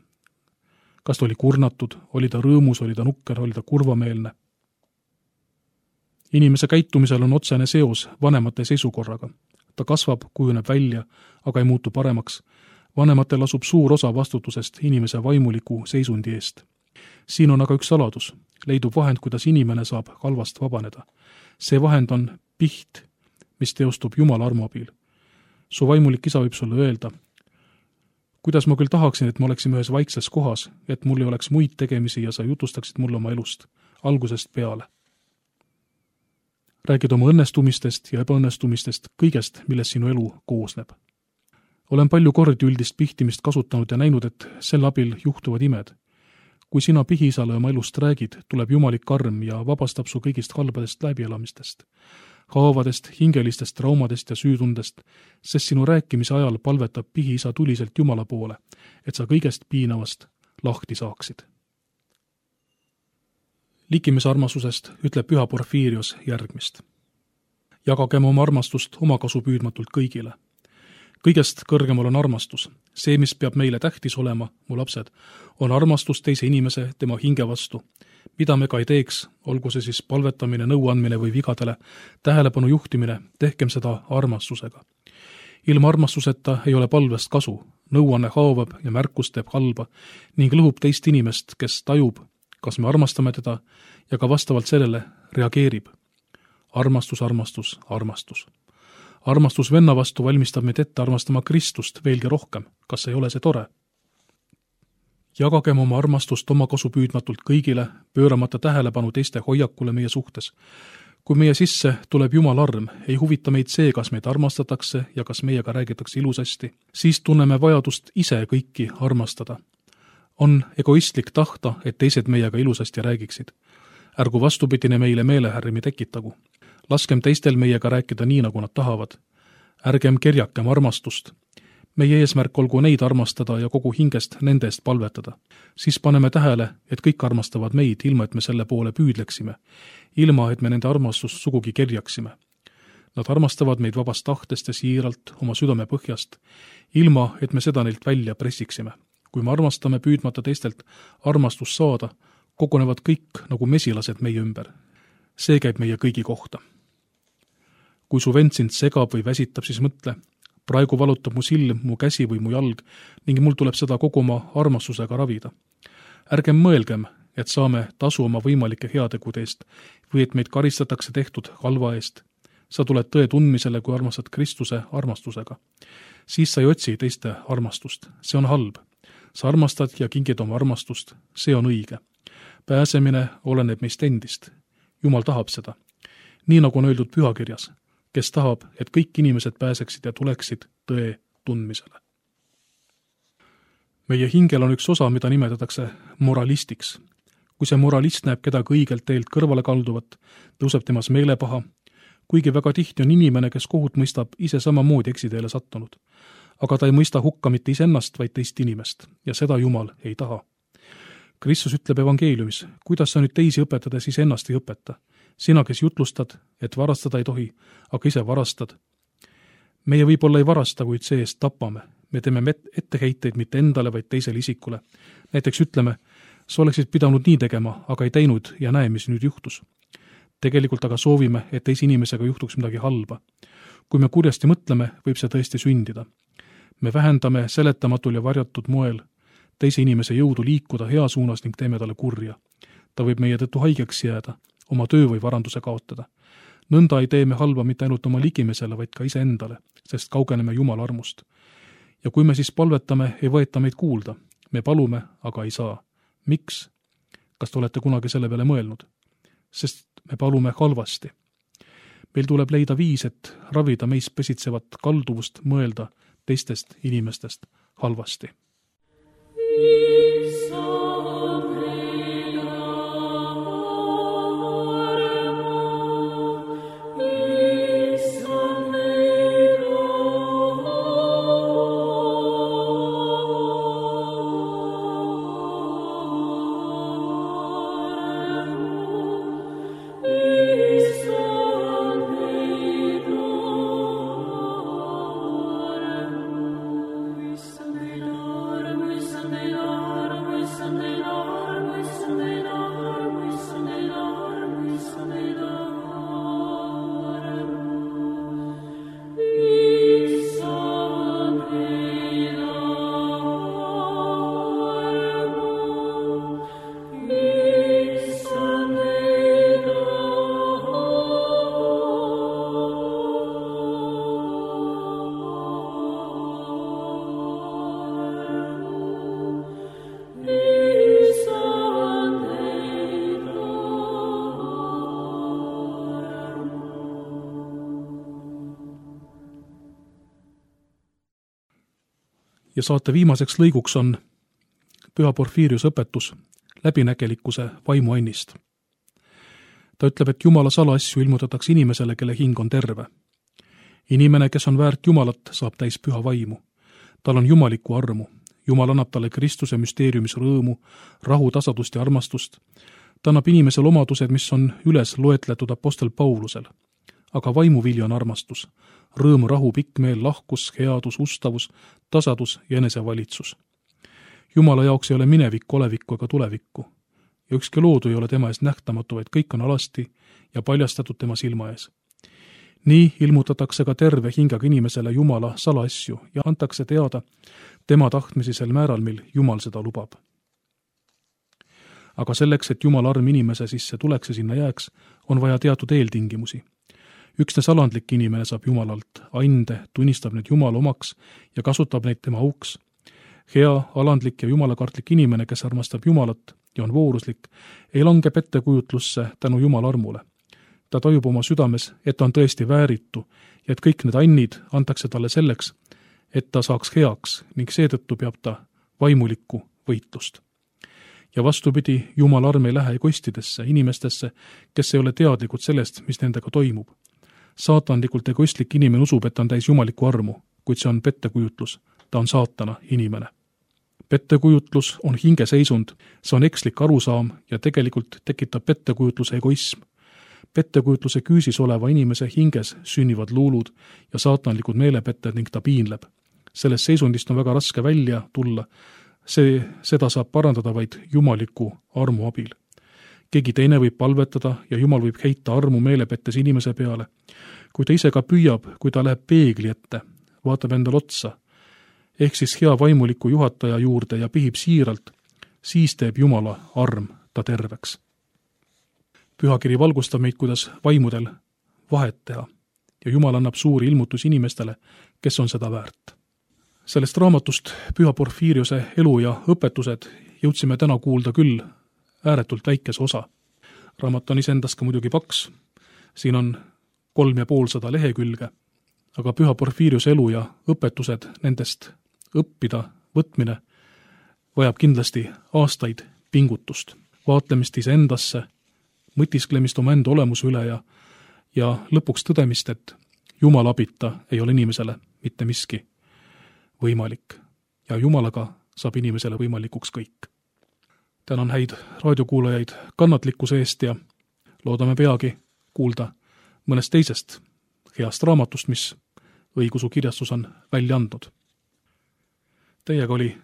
kas ta oli kurnatud, oli ta rõõmus, oli ta nukker, oli ta kurvameelne. Inimese käitumisel on otsene seos vanemate seisukorraga. Ta kasvab, kujuneb välja, aga ei muutu paremaks. Vanematel asub suur osa vastutusest inimese vaimuliku seisundi eest. Siin on aga üks saladus. Leidub vahend, kuidas inimene saab halvast vabaneda. See vahend on piht, mis teostub Jumala armu abil. Su vaimulik isa võib sulle öelda, kuidas ma küll tahaksin, et me oleksime ühes vaikses kohas, et mul ei oleks muid tegemisi ja sa jutustaksid mulle oma elust, algusest peale. Räägid oma õnnestumistest ja ebaõnnestumistest, kõigest, millest sinu elu koosneb. Olen palju kordi üldist pihtimist kasutanud ja näinud, et sel abil juhtuvad imed. Kui sina pihiisale oma elust räägid, tuleb jumalik arm ja vabastab su kõigist halbadest läbielamistest, haavadest, hingelistest traumadest ja süütundest, sest sinu rääkimise ajal palvetab pihiisa tuliselt Jumala poole, et sa kõigest piinavast lahti saaksid. Likimise armastusest ütleb püha Porfiirios järgmist. Jagagem oma armastust omakasu püüdmatult kõigile. Kõigest kõrgemal on armastus. See, mis peab meile tähtis olema, mu lapsed, on armastus teise inimese, tema hinge vastu. Mida me ka ei teeks, olgu see siis palvetamine, nõuandmine või vigadele, tähelepanu juhtimine, tehkem seda armastusega. Ilma armastuseta ei ole palvest kasu, nõuanne haavab ja märkus teeb halba ning lõhub teist inimest, kes tajub, kas me armastame teda ja ka vastavalt sellele reageerib. Armastus, armastus, armastus. Armastus venna vastu valmistab meid ette armastama Kristust veelgi rohkem. Kas ei ole see tore? Jagagem oma armastust omakasu püüdmatult kõigile, pööramata tähelepanu teiste hoiakule meie suhtes. Kui meie sisse tuleb Jumal arm, ei huvita meid see, kas meid armastatakse ja kas meiega räägitakse ilusasti, siis tunneme vajadust ise kõiki armastada. On egoistlik tahta, et teised meiega ilusasti räägiksid. Ärgu vastupidine meile meelehärmi tekitagu. Laskem teistel meiega rääkida nii, nagu nad tahavad. Ärgem kerjakem armastust. Meie eesmärk olgu neid armastada ja kogu hingest nende eest palvetada. Siis paneme tähele, et kõik armastavad meid, ilma et me selle poole püüdleksime, ilma et me nende armastust sugugi kerjaksime. Nad armastavad meid vabast tahtest ja siiralt oma südame põhjast, ilma et me seda neilt välja pressiksime. Kui me armastame püüdmata teistelt armastust saada, kogunevad kõik nagu mesilased meie ümber. See käib meie kõigi kohta. Kui su vend sind segab või väsitab, siis mõtle, praegu valutab mu silm, mu käsi või mu jalg ning mul tuleb seda kogu oma armastusega ravida. Ärgem mõelgem, et saame tasu oma võimalike heategude eest või et meid karistatakse tehtud halva eest. Sa tuled tõe tundmisele, kui armastad Kristuse armastusega. Siis sa ei otsi teiste armastust. See on halb. Sa armastad ja kingid oma armastust. See on õige. Pääsemine oleneb meist endist. Jumal tahab seda. Nii nagu on öeldud pühakirjas, kes tahab, et kõik inimesed pääseksid ja tuleksid tõe tundmisele. Meie hingel on üks osa, mida nimetatakse moralistiks. Kui see moralist näeb kedagi õigelt teelt kõrvale kalduvat, tõuseb temas meelepaha, kuigi väga tihti on inimene, kes kohut mõistab ise samamoodi eksiteele sattunud. Aga ta ei mõista hukka mitte isennast, vaid teist inimest, ja seda Jumal ei taha. Kristus ütleb evangeeliumis, kuidas sa nüüd teisi õpetades iseennast ei õpeta. Sina, kes jutlustad, et varastada ei tohi, aga ise varastad. Meie võib-olla ei varasta, kuid see eest tapame. Me teeme etteheiteid mitte endale, vaid teisele isikule. Näiteks ütleme, sa oleksid pidanud nii tegema, aga ei teinud ja näe, mis nüüd juhtus. Tegelikult aga soovime, et teise inimesega juhtuks midagi halba. Kui me kurjasti mõtleme, võib see tõesti sündida. Me vähendame seletamatul ja varjatud moel teise inimese jõudu liikuda hea suunas ning teeme talle kurja. Ta võib meie tõttu haigeks jääda, oma töö või varanduse kaotada. Nõnda ei tee me halba mitte ainult oma ligimesele, vaid ka iseendale, sest kaugeneme Jumala armust. Ja kui me siis palvetame, ei võeta meid kuulda. Me palume, aga ei saa. Miks? Kas te olete kunagi selle peale mõelnud? Sest me palume halvasti. Meil tuleb leida viis, et ravida meis pesitsevat kalduvust mõelda teistest inimestest halvasti. Ja saate viimaseks lõiguks on Püha Porfiirius õpetus läbinägelikkuse vaimuannist. Ta ütleb, et Jumala salaasju ilmutatakse inimesele, kelle hing on terve. Inimene, kes on väärt Jumalat, saab täis püha vaimu. Tal on jumalikku armu. Jumal annab talle Kristuse müsteeriumis rõõmu, rahu, tasadust ja armastust. Ta annab inimesel omadused, mis on üles loetletud apostel Paulusel. Aga vaimuvili on armastus. Rõõm, rahu, pikk meel, lahkus, headus, ustavus, tasadus ja enesevalitsus. Jumala jaoks ei ole minevikku, olevikku ega tulevikku. Ja ükski loodu ei ole tema ees nähtamatu, vaid kõik on alasti ja paljastatud tema silma ees. Nii ilmutatakse ka terve hingaga inimesele Jumala salaasju ja antakse teada tema tahtmisi sel määral, mil Jumal seda lubab. Aga selleks, et Jumala arm inimese sisse tuleks ja sinna jääks, on vaja teatud eeltingimusi. Üksnes alandlik inimene saab Jumalalt ande, tunnistab need Jumala omaks ja kasutab neid tema auks. Hea, alandlik ja jumalakartlik inimene, kes armastab Jumalat ja on vooruslik, ei lange pettekujutlusse tänu Jumala armule. Ta tajub oma südames, et ta on tõesti vääritu ja et kõik need annid antakse talle selleks, et ta saaks heaks ning seetõttu peab ta vaimulikku võitlust. Ja vastupidi, Jumala arm ei lähe egoistidesse, inimestesse, kes ei ole teadlikud sellest, mis nendega toimub. Saatanlikult egoistlik inimene usub, et ta on täis jumalikku armu, kuid see on pettekujutlus. Ta on saatana inimene. Pettekujutlus on hingeseisund, see on ekslik arusaam ja tegelikult tekitab pettekujutluse egoism. Pettekujutluse küüsis oleva inimese hinges sünnivad luulud ja saatanlikud meelepetted ning ta piinleb. Sellest seisundist on väga raske välja tulla. Seda saab parandada vaid jumaliku armu abil. Keegi teine võib palvetada ja Jumal võib heita armu meelepettes inimese peale. Kui ta ise ka püüab, kui ta läheb peegli ette, vaatab endal otsa, ehk siis hea vaimuliku juhataja juurde ja pihib siiralt, siis teeb Jumala arm ta terveks. Pühakiri valgustab meid, kuidas vaimudel vahet teha ja Jumal annab suuri ilmutusi inimestele, kes on seda väärt. Sellest raamatust Püha Porfiiriuse elu ja õpetused jõudsime täna kuulda küll ääretult väikese osa. Raamat on iseendast ka muidugi paks, siin on 350 lehekülge, aga Püha Porfiiriuse elu ja õpetused nendest õppida võtmine vajab kindlasti aastaid pingutust, vaatlemist iseendasse, mõtisklemist oma enda olemuse üle ja lõpuks tõdemist, et Jumala abita ei ole inimesele mitte miski võimalik ja Jumalaga saab inimesele võimalikuks kõik. Tänan häid raadiokuulajaid kannatlikkuse eest ja loodame peagi kuulda mõnest teisest heast raamatust, mis Õigeusu Kirjastus on välja andnud. Teiega oli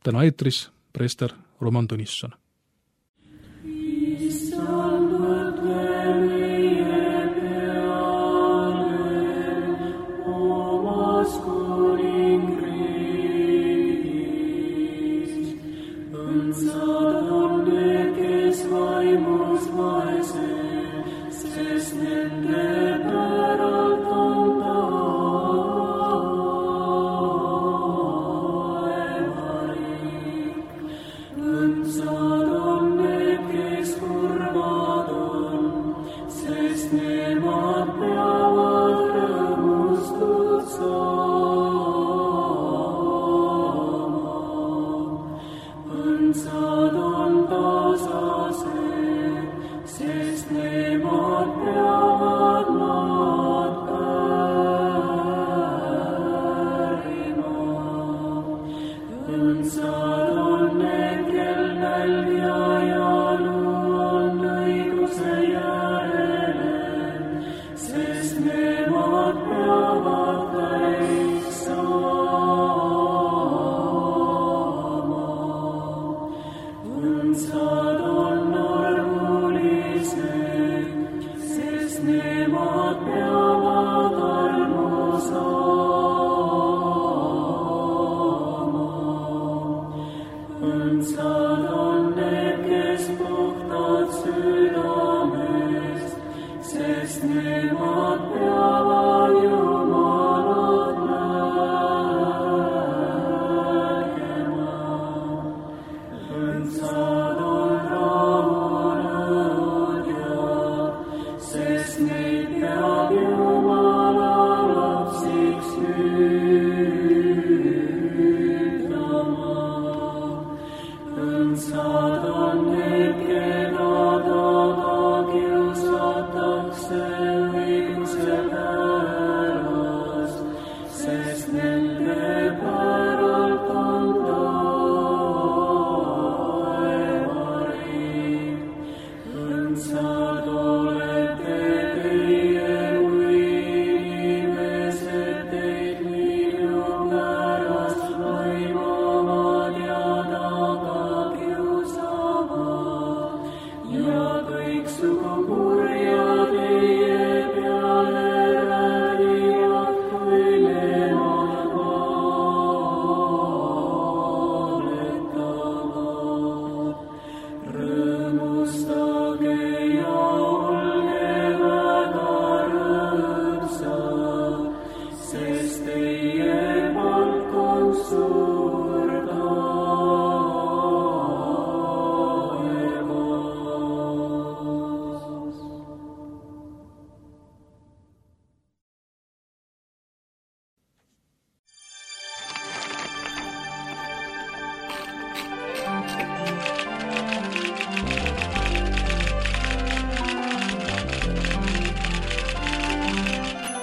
täna eetris preester Roman Tõnisson.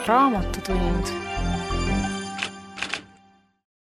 Raamatutund.